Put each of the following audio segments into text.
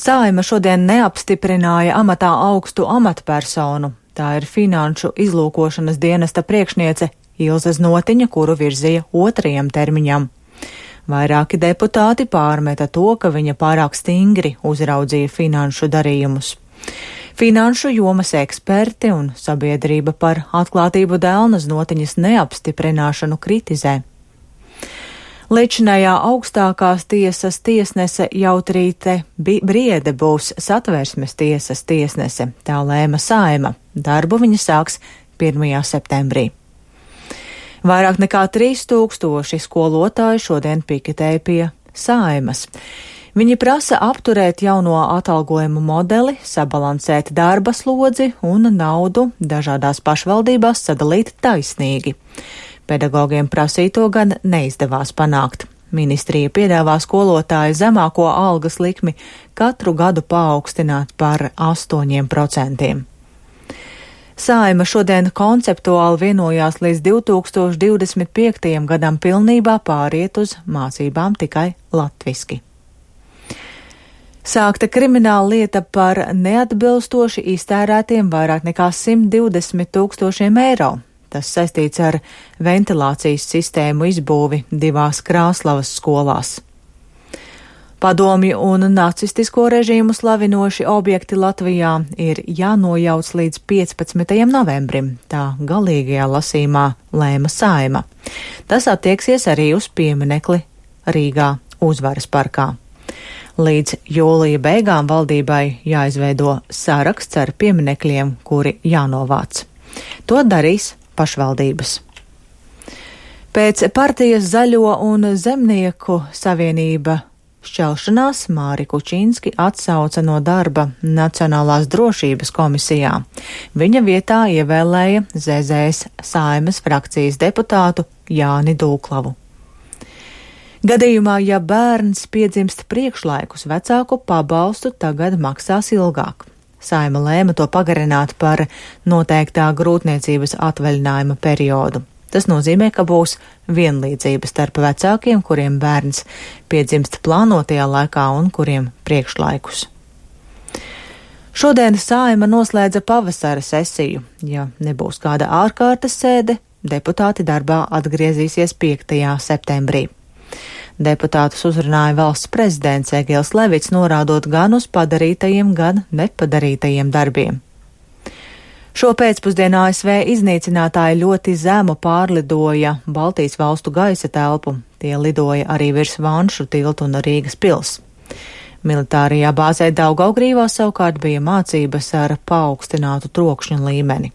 Saeima šodien neapstiprināja amatā augstu amatpersonu. Tā ir Finanšu izlūkošanas dienesta priekšniece Ilze Znotiņa, kuru virzīja 2. termiņam. Vairāki deputāti pārmeta to, ka viņa pārāk stingri uzraudzīja finanšu darījumus. Finanšu jomas eksperti un sabiedrība par atklātību dēļ Znotiņas neapstiprināšanu kritizē. Līdzinājā augstākās tiesas tiesnese Jautrīte Briede būs Satversmes tiesas tiesnese, tā lēma Saeima. Darbu viņa sāks 1. septembrī. Vairāk nekā 3000 skolotāju šodien piketēja pie Saeimas. Viņi prasa apturēt jauno atalgojumu modeli, sabalansēt darba slodzi un naudu dažādās pašvaldībās sadalīt taisnīgi. Pedagogiem prasīto gan neizdevās panākt. Ministrija piedāvā skolotāju zemāko algas likmi katru gadu paaugstināt par 8%. Saeima šodien konceptuāli vienojās līdz 2025. gadam pilnībā pāriet uz mācībām tikai latviski. Sākta krimināla lieta par neatbilstoši iztērētiem vairāk nekā 120 000 eiro. Tas saistīts ar ventilācijas sistēmu izbūvi 2 Krāslavas skolās. Padomju un nacistisko režīmu slavinoši objekti Latvijā ir jānojauc līdz 15. novembrim, tā galīgajā lasījumā lēma Saeima. Tas attieksies arī uz pieminekli Rīgā Uzvaras parkā. Līdz jūlija beigām valdībai jāizveido saraksts ar pieminekļiem, kuri jānovāc. To darīs pašvaldības. Pēc partijas Zaļo un Zemnieku savienība šķelšanās Māri Kučinski atsauca no darba Nacionālās drošības komisijā. Viņa vietā ievēlēja ZZS Saeimas frakcijas deputātu Jāni Dūklavu. Gadījumā, ja bērns piedzimst priekšlaikus, vecāku pabalstu tagad maksās ilgāk. Saeima lēma to pagarināt par noteiktā grūtniecības atvaļinājuma periodu. Tas nozīmē, ka būs vienlīdzība starp vecākiem, kuriem bērns piedzimst plānotajā laikā un kuriem priekšlaikus. Šodien Saeima noslēdza pavasara sesiju. Ja nebūs kāda ārkārtas sēde, deputāti darbā atgriezīsies 5. septembrī. Deputātus uzrunāja valsts prezidents Egils Levits, norādot gan uz padarītajiem, gan nepadarītajiem darbiem. Šo pēcpusdienu ASV iznīcinātāji ļoti zemu pārlidoja Baltijas valstu gaisa telpu. Tie lidoja arī virs Vanšu tiltu un Rīgas pils. Militārajā bāzē Daugavgrīvā savukārt bija mācības ar paaugstinātu trokšņa līmeni.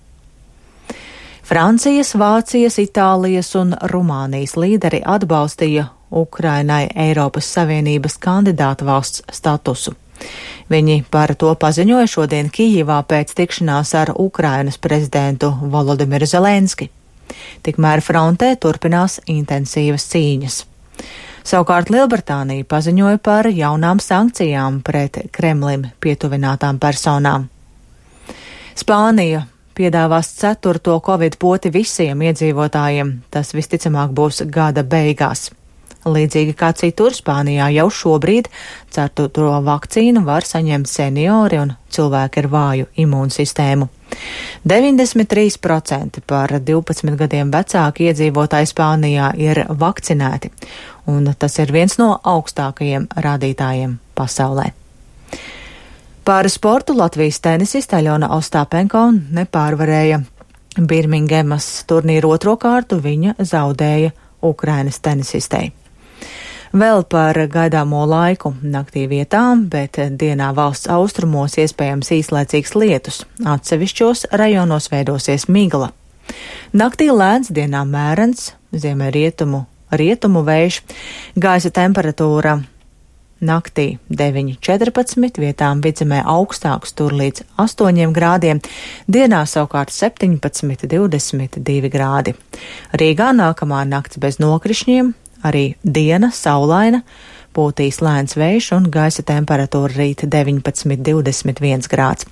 Francijas, Vācijas, Itālijas un Rumānijas līderi atbalstīja Ukrainai Eiropas Savienības kandidāta valsts statusu. Viņi par to paziņoja šodien Kijivā pēc tikšanās ar Ukrainas prezidentu Volodimiru Zelenski. Tikmēr frontē turpinās intensīvas cīņas. Savukārt Lielbritānija paziņoja par jaunām sankcijām pret Kremlim pietuvinātām personām. Spānija piedāvās 4. covid poti visiem iedzīvotājiem. Tas visticamāk būs gada beigās. Līdzīgi kā citur, Spānijā jau šobrīd 4. vakcīnu var saņemt seniori un cilvēki ar vāju imūnsistēmu. 93% par 12 gadiem vecāki iedzīvotāji Spānijā ir vakcinēti, un tas ir viens no augstākajiem rādītājiem pasaulē. Par sportu Latvijas tenisiste Aļona Ostāpenko nepārvarēja Birmingemas turnīru 2. kārtu, viņa zaudēja Ukrainas tenisistei. Vēl par gaidāmo laiku naktī vietām, bet dienā valsts austrumos iespējams īslaicīgs lietus. Atsevišķos rajonos veidosies migla. Naktī lēns, dienā mērens, rietumu vējš, gaisa temperatūra naktī 9–14, vietām vidzemē augstāks, tur līdz 8 grādiem, dienā savukārt 17–22 grādi. Rīgā nākamā nakts bez nokrišņiem, arī diena saulaina, pūtīs lēns vējš un gaisa temperatūra rīt 19–21 grāds.